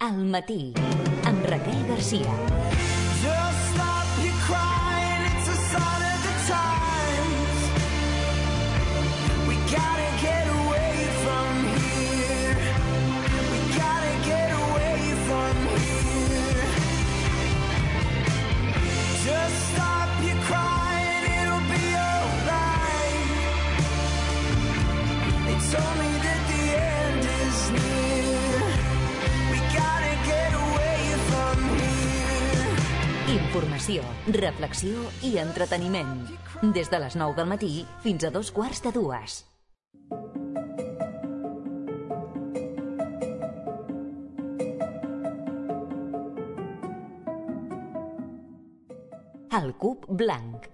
Al matí, amb Raquel Garcia. Just stop your crying, it's a sign of the times. We gotta get away from here. We gotta get away from here. Just stop your crying, it'll be alright. It's only that the end is near. We gotta get away from here. Informació, reflexió i entreteniment. Des de les 9 del matí fins a 2:15. El cub blanc.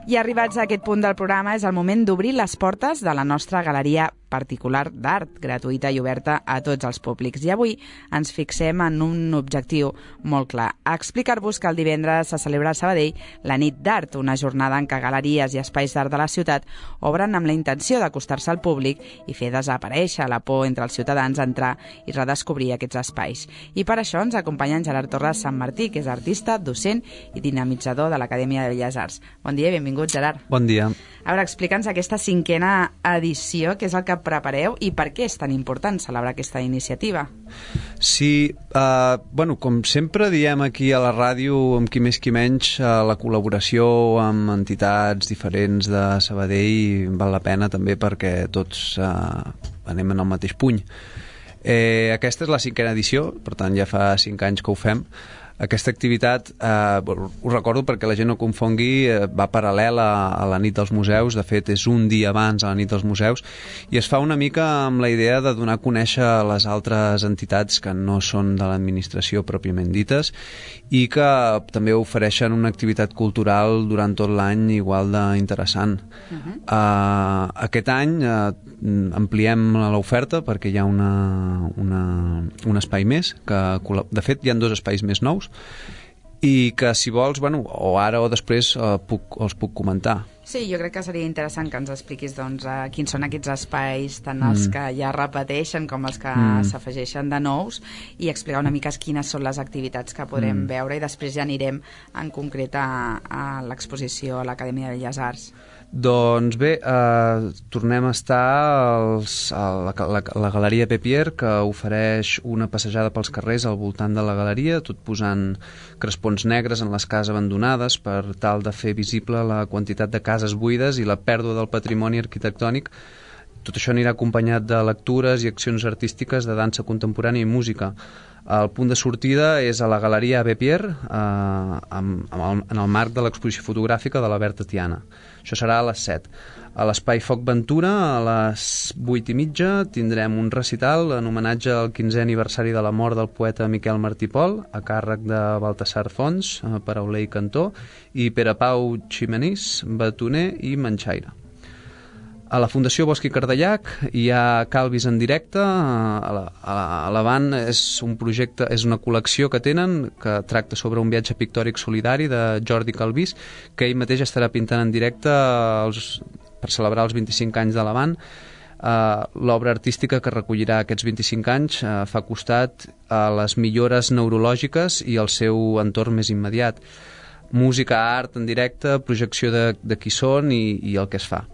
I arribats a aquest punt del programa és el moment d'obrir les portes de la nostra galeria particular d'art, gratuïta i oberta a tots els públics. I avui ens fixem en un objectiu molt clar: explicar-vos que el divendres se celebra a Sabadell la Nit d'Art, una jornada en què galeries i espais d'art de la ciutat obren amb la intenció d'acostar-se al públic i fer desaparèixer la por entre els ciutadans a entrar i redescobrir aquests espais. I per això ens acompanya en Gerard Torres Sant Martí, que és artista, docent i dinamitzador de l'Acadèmia de Belles Arts. Bon dia i benvingut, Gerard. Bon dia. A veure, explica'ns aquesta 5a edició, què és el que prepareu i per què és tan important celebrar aquesta iniciativa? Sí, com sempre diem aquí a la ràdio, amb qui més qui menys, la col·laboració amb entitats diferents de Sabadell val la pena també perquè tots anem en el mateix puny. Aquesta és la 5a edició, per tant ja fa 5 anys que ho fem. Aquesta activitat, ho recordo perquè la gent no confongui, va paral·lela a la nit dels museus. De fet, és un dia abans a la nit dels museus, i es fa una mica amb la idea de donar a conèixer les altres entitats que no són de l'administració pròpiament dites i que també ofereixen una activitat cultural durant tot l'any igual d'interessant. Aquest any ampliem l'oferta perquè hi ha un espai més, que de fet hi ha 2 espais més nous, i que si vols, o ara o després els puc comentar. Sí, jo crec que seria interessant que ens expliquis quins són aquests espais, tant els que ja repeteixen com els que s'afegeixen de nous, i explicar una mica quines són les activitats que podrem veure, i després ja anirem en concret a l'exposició a l'Acadèmia de Belles Arts. Doncs bé, tornem a estar a la Galeria Pépier, que ofereix una passejada pels carrers al voltant de la galeria, tot posant crespons negres en les cases abandonades per tal de fer visible la quantitat de cases buides i la pèrdua del patrimoni arquitectònic. Tot això anirà acompanyat de lectures i accions artístiques de dansa contemporània i música. El punt de sortida és a la Galeria Pépier, en el marc de l'exposició fotogràfica de la Berta Tiana. Això serà a les 7. A l'Espai Foc Ventura, a les 8:30, tindrem un recital en homenatge al 15è aniversari de la mort del poeta Miquel Martí Pol, a càrrec de Baltasar Fons, parauler i cantor, i Pere Pau Ximenís, batoner i manxaire. A la Fundació Bosch i Cardellac hi ha Calvis en directe. A l'Avant és un projecte, és una col·lecció que tenen, que tracta sobre un viatge pictòric solidari de Jordi Calvis, que ell mateix estarà pintant en directe per celebrar els 25 anys de l'Avant. L'obra artística que recollirà aquests 25 anys fa costat a les millores neurològiques i al seu entorn més immediat. Música, art en directe, projecció de qui són i el que es fa.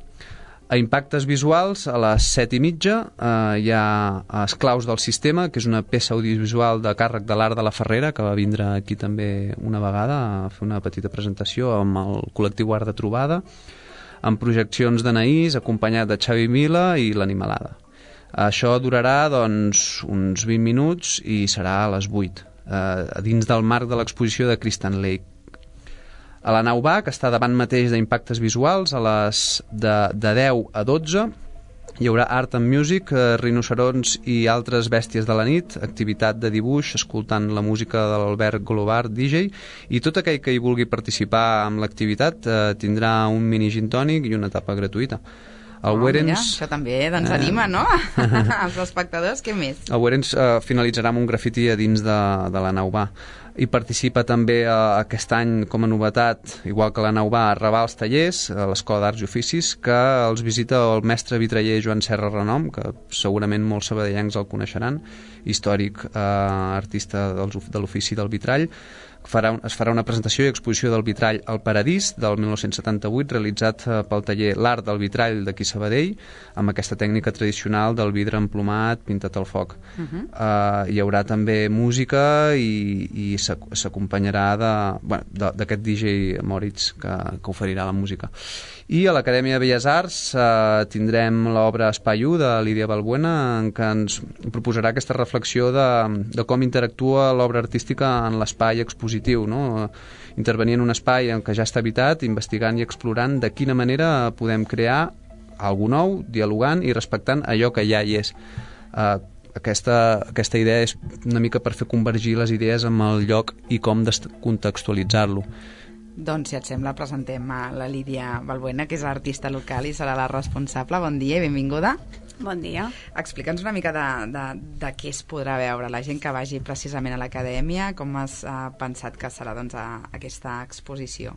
A Impactes Visuals, a les 7:30, hi ha Esclaus del Sistema, que és una peça audiovisual de càrrec de l'Art de la Ferrera, que va vindre aquí també una vegada a fer una petita presentació amb el col·lectiu Art de Trobada, amb projeccions d'Anaís, acompanyat de Xavi Mila i l'Animalada. Això durarà uns 20 minuts i serà a les 8, dins del marc de l'exposició de Christian Lake. A la nau B, que està davant mateix d'Impactes Visuals, de 10 a 12, Hi haurà Art and Music, rinocerons i altres bèsties de la nit, activitat de dibuix, escoltant la música de l'Albert Golobar, DJ, i tot aquell que hi vulgui participar amb l'activitat tindrà un mini gin tònic i una tapa gratuïta. Mira, això també anima, no? Els espectadors, què més? El Werens finalitzarà amb un grafiti a dins de la nau bar. I participa també aquest any com a novetat, igual que la nau bar, a Raval als tallers, a l'Escola d'Arts i Oficis, que els visita el mestre vitraller Joan Serra Renom, que segurament molts sabadellencs el coneixeran, històric artista de l'ofici del vitrall. Es farà una presentació i exposició del vitrall al Paradís del 1978, realitzat pel taller L'Art del Vitrall d'aquí Sabadell, amb aquesta tècnica tradicional del vidre emplomat, pintat al foc. Hi haurà també música i s'acompanyarà d'aquest DJ Moritz que oferirà la música. I a l'Acadèmia de Belles Arts tindrem l'obra Espai 1 de Lídia Balbuena, en què ens proposarà aquesta reflexió de com interactua l'obra artística en l'espai expositiu, no? Intervenir en un espai en què ja està habitat, investigant i explorant de quina manera podem crear alguna nou, dialogant i respectant allò que ja hi és. Aquesta idea és una mica per fer convergir les idees amb el lloc i com contextualitzar-lo. Doncs, si et sembla, presentem a la Lídia Balbuena, que és l'artista local i serà la responsable. Bon dia i benvinguda. Bon dia. Explica'ns una mica de què es podrà veure la gent que vagi precisament a l'acadèmia, com has pensat que serà aquesta exposició.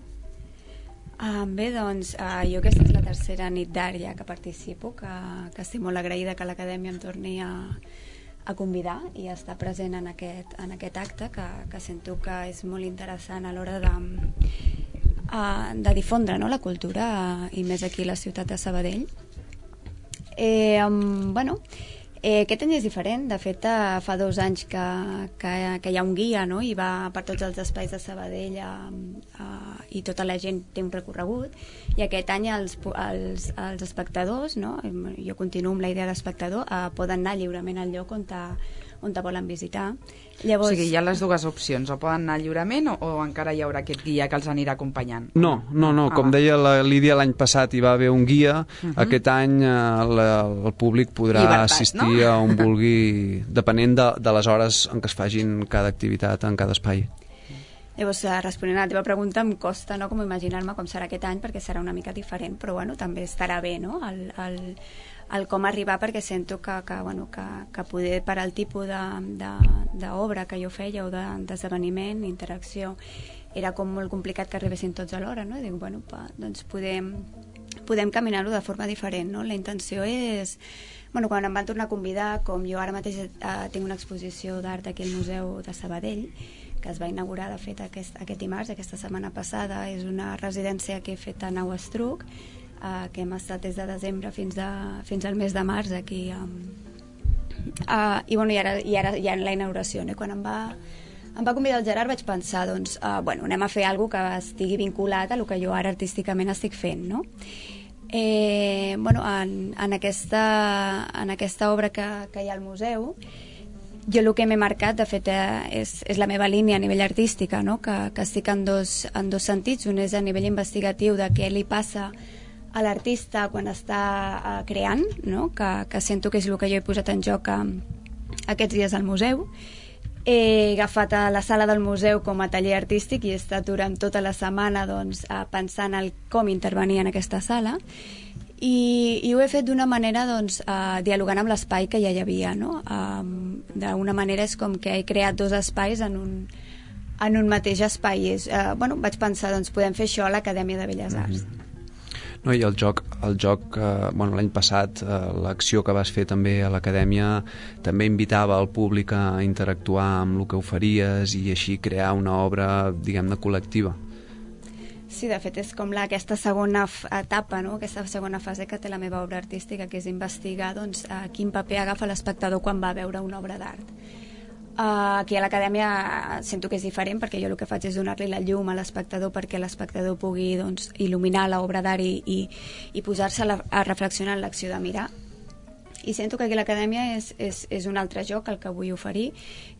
Bé, doncs, jo aquesta és la tercera nit d'art ja que participo, que estic molt agraïda que l'acadèmia em torni a convidar i a estar present en aquest acte, que sento que és molt interessant a l'hora de difondre, no?, la cultura i més aquí a la ciutat de Sabadell. Aquest any és diferent. De fet, fa 2 anys que hi ha un guia, no?, i va per tots els espais de Sabadell i tota la gent té un recorregut, i aquest any els espectadors, no?, jo continuo amb la idea d'espectador, poden anar lliurement al lloc on te volen visitar. Llavors... O sigui, hi ha les dues opcions, o poden anar lliurement o encara hi haurà aquest guia que els anirà acompanyant? No, com deia la Lídia, l'any passat hi va haver un guia, aquest any el públic podrà assistir a on vulgui, depenent de les hores en què es fagin cada activitat en cada espai. Llavors, responent a la teva pregunta, em costa, no?, com imaginar-me com serà aquest any, perquè serà una mica diferent, però bueno, també estarà bé, no?, el com arribar, perquè sento que poder, per al tipus d'obra que jo feia o d'esdeveniment, interacció, era com molt complicat que arribessin tots alhora, no? I dic, bueno, doncs podem caminar-ho de forma diferent, no? La intenció és... Bueno, quan em van tornar a convidar, com jo ara mateix tinc una exposició d'art aquí al Museu de Sabadell, que es va inaugurar, de fet, aquest dimarts, aquesta setmana passada. És una residència que he fet a Nau Estruc, que hem estat des de desembre fins al mes de març aquí. I ara hi ha la inauguració, no? Quan em va convidar el Gerard vaig pensar, doncs, anem a fer alguna cosa que estigui vinculat a el que jo ara artísticament estic fent, no? En aquesta obra que hi ha al museu, jo el que m'he marcat, de fet, és la meva línia a nivell artística, no?, que estic en dos sentits. Un és a nivell investigatiu, de què li passa a l'artista quan està creant, no?, que sento que és el que jo he posat en joc aquests dies al museu. He agafat a la sala del museu com a taller artístic i he estat durant tota la setmana, doncs, pensant en com intervenir en aquesta sala, i ho he fet d'una manera, doncs, dialogant amb l'espai que ja hi havia, no? D'una manera és com que he creat 2 espais en un mateix espai. Vaig pensar, doncs, podem fer això a l'Acadèmia de Belles Arts. No, i el joc l'any passat, l'acció que vas fer també a l'Acadèmia també invitava al públic a interactuar amb el que oferies i així crear una obra, diguem-ne, col·lectiva. Sí, de fet és com aquesta segona etapa, no?, aquesta segona fase que té la meva obra artística, que és investigar, doncs, quin paper agafa l'espectador quan va veure una obra d'art. Aquí a l'Acadèmia sento que és diferent, perquè jo el que faig és donar-li la llum a l'espectador perquè l'espectador pugui, doncs, il·luminar l'obra d'art i posar-se a reflexionar en l'acció de mirar. I sento que aquí a l'Acadèmia és un altre joc el que vull oferir,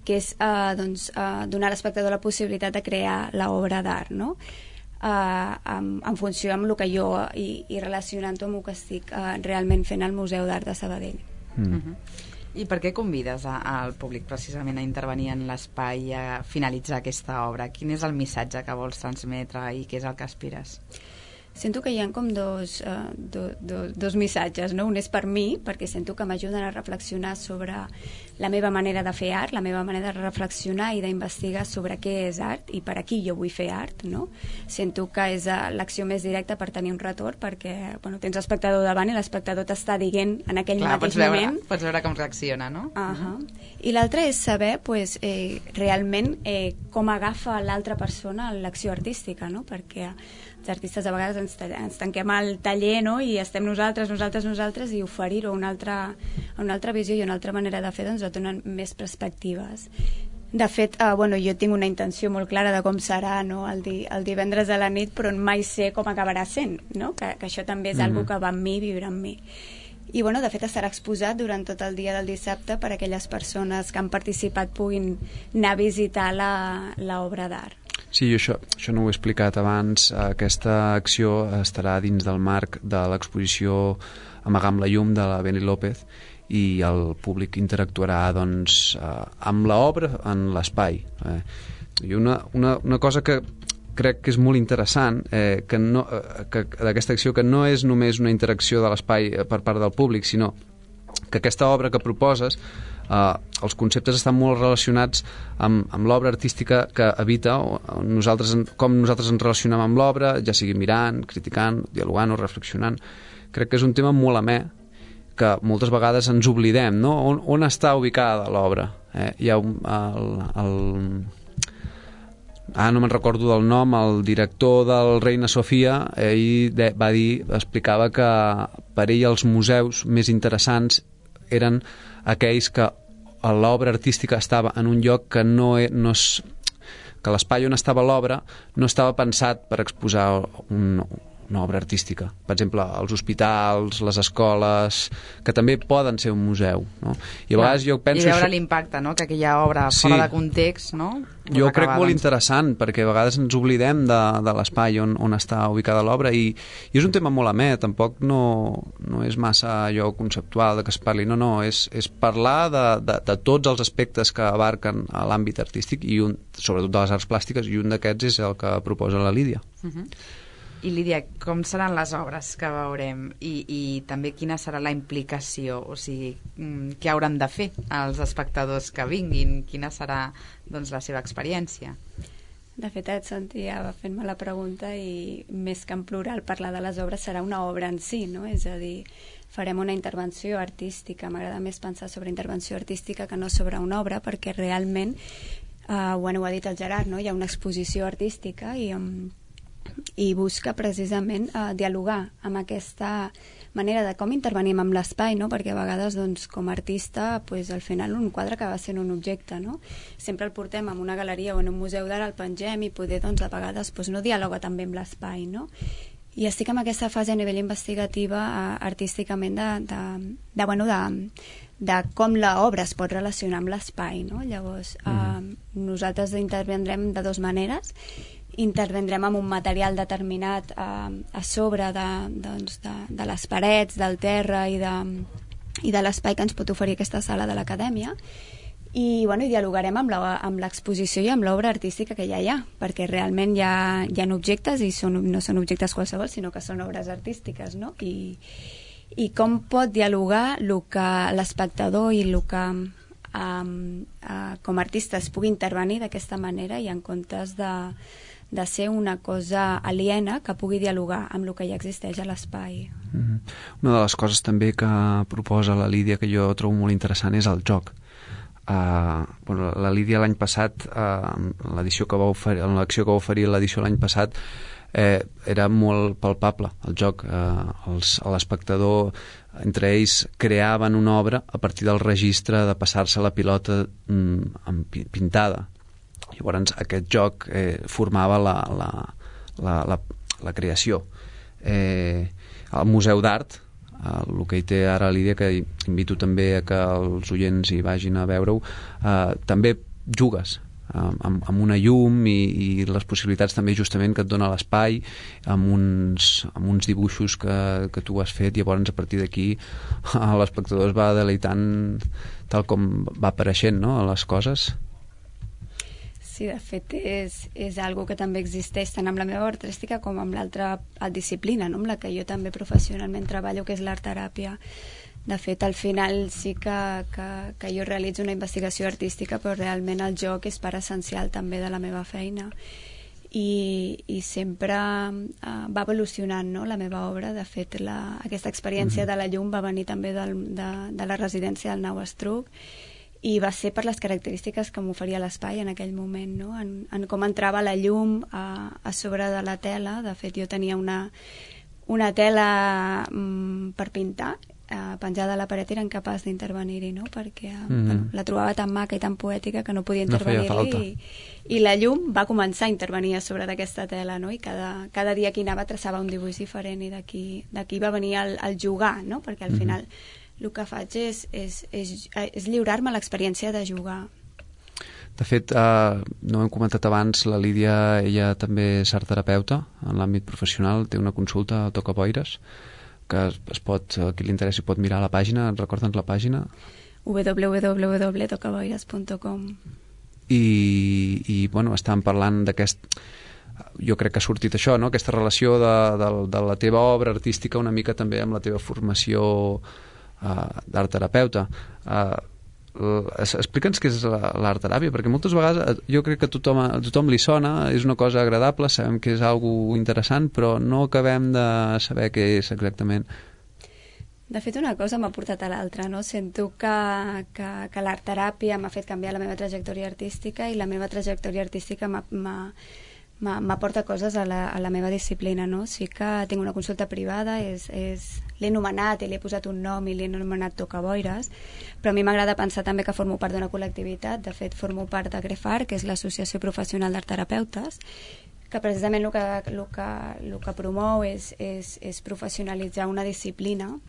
que és donar a l'espectador la possibilitat de crear l'obra d'art, no? en funció amb el que jo i relacionant-ho amb el que estic realment fent al Museu d'Art de Sabadell. I per què convides al públic precisament a intervenir en l'espai i a finalitzar aquesta obra? Quin és el missatge que vols transmetre i què és el que aspires? Sento que hi ha com dos missatges, no? Un és per mi, perquè sento que m'ajuden a reflexionar sobre la meva manera de fer art, la meva manera de reflexionar i d'investigar sobre què és art i per a qui jo vull fer art, no? Sento que és l'acció més directa per tenir un retorn, perquè tens l'espectador davant i l'espectador t'està dient en aquell mateix moment... Pots veure com reacciona, no? I l'altre és saber realment com agafa l'altra persona l'acció artística, no? Perquè els artistes a vegades ens tanquem al taller, no? I estem nosaltres i oferir-ho a una altra visió i una altra manera de fer doncs et donen més perspectives. De fet, jo tinc una intenció molt clara de com serà, no? el divendres a la nit, però mai sé com acabarà sent, no? Que això també és algo que va amb mi, viure amb mi. I de fet estarà exposat durant tot el dia del dissabte per a aquelles persones que han participat puguin anar a visitar l'obra d'art. Sí, això no ho he explicat abans. Aquesta acció estarà dins del marc de l'exposició Amagar amb la llum de la Beni López i el públic interactuarà amb l'obra en l'espai. I una cosa que crec que és molt interessant que d'aquesta acció, que no és només una interacció de l'espai per part del públic, sinó que aquesta obra que proposes, els conceptes estan molt relacionats amb l'obra artística que habita, com nosaltres ens relacionem amb l'obra, ja sigui mirant, criticant, dialogant o reflexionant. Crec que és un tema molt amè que moltes vegades ens oblidem, no? On està ubicada l'obra? Hi ha no me'n recordo del nom, el director del Reina Sofia, ell explicava que per ell els museus més interessants eren aquells que l'obra artística estava en un lloc que que l'espai on estava l'obra no estava pensat per exposar una obra artística. Per exemple, els hospitals, les escoles, que també poden ser un museu, no? I a vegades jo penso... I veure l'impacte, no?, que aquella obra fora de context, no? Jo crec molt interessant, perquè a vegades ens oblidem de l'espai on està ubicada l'obra i és un tema molt amè, tampoc no és massa allò conceptual de que es parli, no, és parlar de tots els aspectes que abarquen l'àmbit artístic i sobretot de les arts plàstiques, i un d'aquests és el que proposa la Lídia. I Lídia, com seran les obres que veurem i també quina serà la implicació, o sigui, què hauran de fer els espectadors que vinguin, quina serà la seva experiència? De fet, et sentia fent-me la pregunta i més que en plural parlar de les obres serà una obra en si, no? És a dir, farem una intervenció artística. M'agrada més pensar sobre intervenció artística que no sobre una obra, perquè realment, ho ha dit el Gerard, no? Hi ha una exposició artística i busca precisament dialogar amb aquesta manera de com intervenim amb l'espai, no? Perquè a vegades com a artista al final un quadre acaba sent un objecte, no? Sempre el portem en una galeria o en un museu d'art, el pengem i poder a vegades no dialoga també amb l'espai, no? I estic en aquesta fase a nivell investigativa artísticament de com l'obra es pot relacionar amb l'espai, no? Llavors nosaltres intervendrem de dues maneres. Intervendrem amb un material determinat a sobre de les parets, del terra i de l'espai que ens pot oferir aquesta sala de l'acadèmia i dialogarem amb l'exposició i amb l'obra artística que ja hi ha, perquè realment hi ha objectes i no són objectes qualsevol, sinó que són obres artístiques, no? I com pot dialogar el que l'espectador i el que com a artista es pugui intervenir d'aquesta manera i en comptes de ser una cosa aliena que pugui dialogar amb el que ja existeix a l'espai. Una de les coses també que proposa la Lídia que jo trobo molt interessant és el joc. La Lídia l'any passat, en l'acció que va oferir l'edició l'any passat, era molt palpable el joc. L'espectador, entre ells, creaven una obra a partir del registre de passar-se la pilota pintada. Llavors aquest joc formava la creació. El Museu d'Art, el que hi té ara Lídia, que invito també a que els oients hi vagin a veure-ho, també jugues amb una llum i les possibilitats també justament que et dona l'espai, amb uns dibuixos que tu has fet, i llavors a partir d'aquí l'espectador es va deleitant tal com va apareixent, no?, a les coses. Sí, de fet és algo que també existeix tant amb la meva obra artística com amb l'altra disciplina, no?, amb la que jo també professionalment treballo, que és l'art-teràpia. De fet, al final sí que jo realitzo una investigació artística, però realment el joc és part essencial també de la meva feina. I sempre va evolucionant, no?, la meva obra. De fet, aquesta experiència de la llum va venir també de la residència del Nau Estruc, i va ser per les característiques que m'oferia l'espai en aquell moment, no?, en com entrava la llum a sobre de la tela. De fet, jo tenia una tela per pintar penjada a la paret, era incapaç d'intervenir-hi, no?, perquè bueno, la trobava tan maca i tan poètica que no podia intervenir-hi, i la llum va començar a intervenir a sobre d'aquesta tela, no?, i cada dia que hi anava traçava un dibuix diferent, i d'aquí va venir el jugar, no?, perquè al final el que faig és lliurar-me l'experiència de jugar. De fet, no ho hem comentat abans, la Lídia, ella també és artterapeuta en l'àmbit professional, té una consulta a Tocaboires, que es pot, a qui li interessi pot mirar la pàgina. Recorda'ns la pàgina. www.tocaboires.com. I bueno, estàvem parlant d'aquest... Jo crec que ha sortit això, no?, aquesta relació de la teva obra artística una mica també amb la teva formació d'art-terapeuta. Explica'ns què és l'art-teràpia, perquè moltes vegades jo crec que a tothom li sona, és una cosa agradable, sabem que és algo interessant, però no acabem de saber què és exactament. De fet, una cosa m'ha portat a l'altra, no? Sento que l'art-teràpia m'ha fet canviar la meva trajectòria artística, i la meva trajectòria artística m'aporta coses a la meva disciplina, no? Sí que tinc una consulta privada, l'he anomenat i li he posat un nom i l'he anomenat Tocaboires, però a mi m'agrada pensar també que formo part d'una col·lectivitat. De fet, formo part de GREFAR, que és l'Associació Professional d'Art-Terapeutes, que precisament el que promou és professionalitzar una disciplina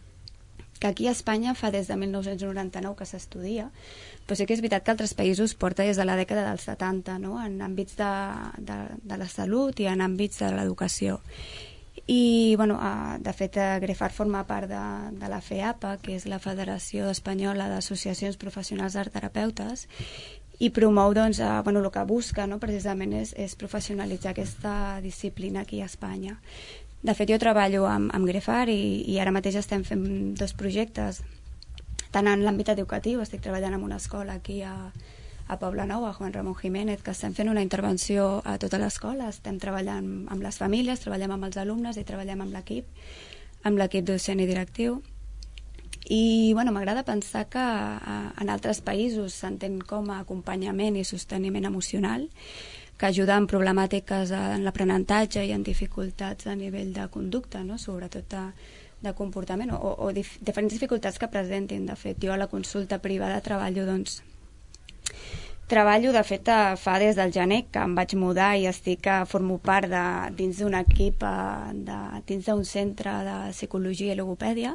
que aquí a Espanya fa des de 1999 que s'estudia, però sí que és veritat que altres països porta des de la dècada dels 70, no?, en àmbits de la salut i en àmbits de l'educació. I, bueno, de fet, GREFAR forma part de la FEAPA, que és la Federació Espanyola d'Associacions Professionals d'Art-Terapeutes, i promou, doncs, bueno, el que busca, no?, precisament és professionalitzar aquesta disciplina aquí a Espanya. De fet, jo treballo amb GREFAR i ara mateix estem fent 2 projectes, tant en l'àmbit educatiu. Estic treballant en una escola aquí a Poblenou, a Juan Ramón Jiménez, que estem fent una intervenció a tota l'escola. Estem treballant amb les famílies, treballem amb els alumnes i treballem amb l'equip docent i directiu. I, bueno, m'agrada pensar que en altres països s'entén com a acompanyament i sosteniment emocional, que ajuda en problemàtiques en l'aprenentatge i en dificultats a nivell de conducta, no?, sobretot de comportament, o diferents dificultats que presentin. De fet, jo a la consulta privada treballo, de fet, fa des del gener que em vaig mudar i formo part dins d'un equip, dins d'un centre de psicologia i logopèdia,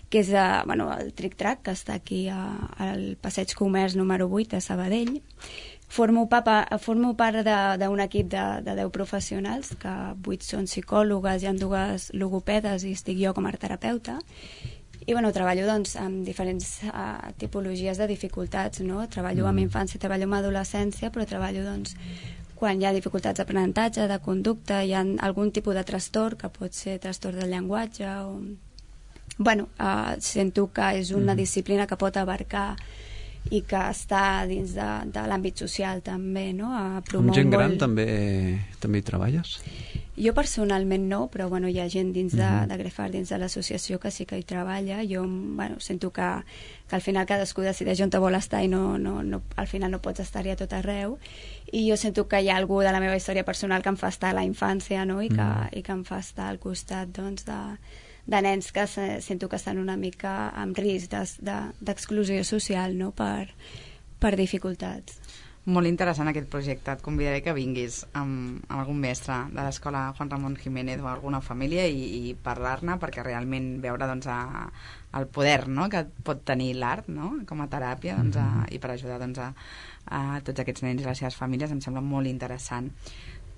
que és el Tric Trac, que està aquí al Passeig Comerç número 8 de Sabadell. Formo part d'un equip de 10 professionals, que 8 són psicòlogues, hi ha 2 logopedes i estic jo com a terapeuta. I, bueno, treballo, doncs, amb diferents tipologies de dificultats, no? Treballo amb infància, treballo amb adolescència, però treballo, doncs, quan hi ha dificultats d'aprenentatge, de conducta, hi ha algun tipus de trastorn, que pot ser trastorn del llenguatge, o... Bueno, sento que és una disciplina que pot abarcar i que està dins de l'àmbit social també, no? Amb gent gran també hi treballes? Jo personalment no, però bueno, hi ha gent dins de GREFAR, dins de l'associació, que sí que hi treballa. Jo, bueno, sento que al final cadascú decideix on te vol estar i al final no pots estar-hi a tot arreu, i jo sento que hi ha algú de la meva història personal que em fa estar a la infància, no? I que em fa estar al costat, doncs, de nens que sento que estan una mica amb risc d'exclusió social, no?, per dificultats. Molt interessant aquest projecte. Et convidaré que vinguis amb algun mestre de l'escola Juan Ramón Jiménez o alguna família i parlar-ne, perquè realment veure doncs, el poder, no?, que pot tenir l'art, no?, com a teràpia doncs, i per ajudar doncs, a tots aquests nens i les seves famílies em sembla molt interessant.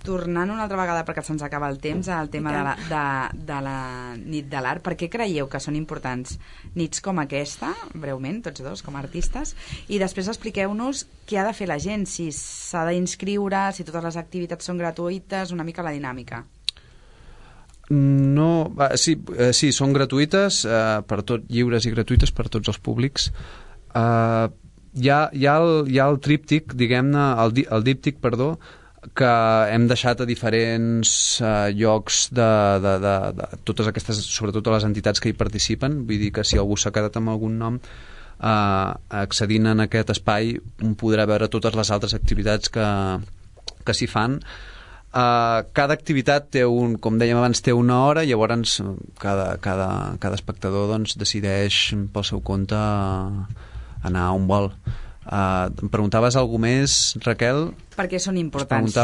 Tornant una altra vegada, perquè se'ns acaba el temps, al tema de la nit de l'art, per què creieu que són importants nits com aquesta, breument, tots dos, com a artistes, i després expliqueu-nos què ha de fer la gent, si s'ha d'inscriure, si totes les activitats són gratuïtes, una mica la dinàmica. No, sí, són gratuïtes, per tot, lliures i gratuïtes per tots els públics. Hi ha el tríptic, diguem-ne, el díptic, perdó, que hem deixat a diferents llocs de totes aquestes, sobretot a les entitats que hi participen. Vull dir que si algú s'ha quedat amb algun nom, accedint en aquest espai podrà veure totes les altres activitats que s'hi fan. Cada activitat té com dèiem abans, té una hora, llavors cada espectador doncs, decideix pel seu compte anar on vol. Em preguntaves alguna més, Raquel? Perquè són importants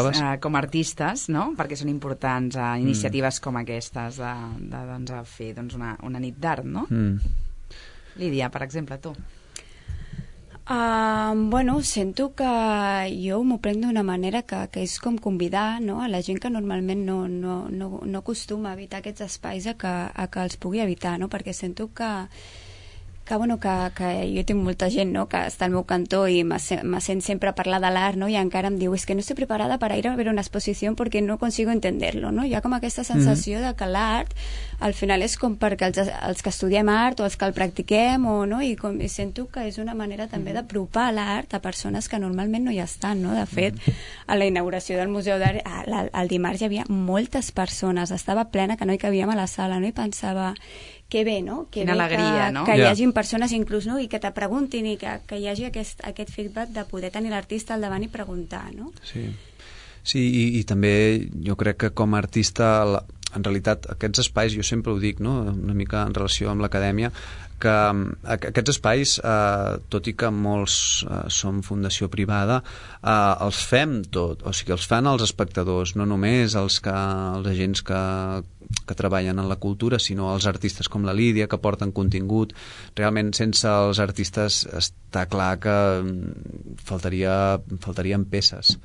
com a artistes, no? Perquè són importants iniciatives com aquestes de doncs, fer doncs, una nit d'art, no? Lídia, per exemple, tu. Bueno, sento que jo m'ho prenc d'una manera que és com convidar, no?, a la gent que normalment no acostuma a evitar aquests espais a que els pugui evitar, no?, perquè sento que jo tinc molta gent, no?, que està al meu cantó i me sent sempre parlar de l'art, no?, i encara em diu, es que no estoy preparada para ir a ver una exposición porque no consigo entenderlo, no? Hi ha com aquesta sensació de que l'art al final és com perquè els que estudiem art o els que el practiquem, no? I sento que és una manera també d'apropar l'art a persones que normalment no hi estan, no? De fet, a la inauguració del Museu d'Art el dimarts hi havia moltes persones, estava plena, que no hi cabíem a la sala, no? I pensava, que bé, no? Que quina alegria, no? Que hi hagin persones inclús, no? I que te preguntin i que hi hagi aquest feedback de poder tenir l'artista al davant i preguntar, no? Sí, i també jo crec que com a artista, en realitat aquests espais, jo sempre ho dic, no?, una mica en relació amb l'acadèmia, que aquests espais, tot i que molts són fundació privada, els fem tot, o sigui, els fan els espectadors, no només els agents que treballen en la cultura, sinó els artistes com la Lídia, que porten contingut. Realment, sense els artistes està clar que faltarien peces.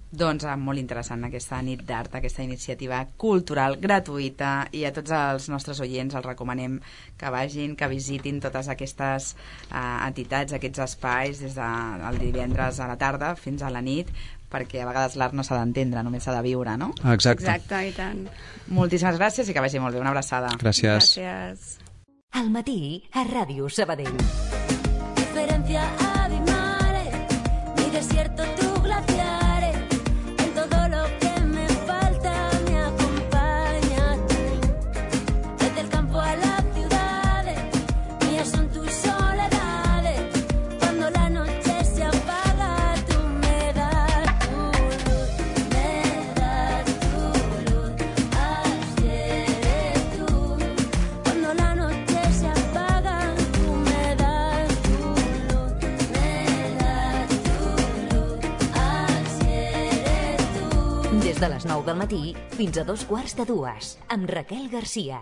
Doncs molt interessant aquesta nit d'art, aquesta iniciativa cultural gratuïta, i a tots els nostres oients els recomanem que vagin, que visitin totes aquestes entitats, aquests espais des del divendres a la tarda fins a la nit, perquè a vegades l'art no s'ha d'entendre, només s'ha de viure, no? Exacte, i tant. Moltíssimes gràcies i que vagi molt bé. Una abraçada. Gràcies. Al matí, a Ràdio Sabadell. Diferencia abismales, mi desierto, tu glaciares, en todo lo que me falta me acompañas tú. Desde el campo a las ciudades, mías son tus soledades. Cuando la noche se apaga, tú me das tu luz, así eres tú. Cuando la noche se apaga, tú me das tu luz, así eres tú. Des de les 9 del matí fins a 2:15, amb Raquel Garcia.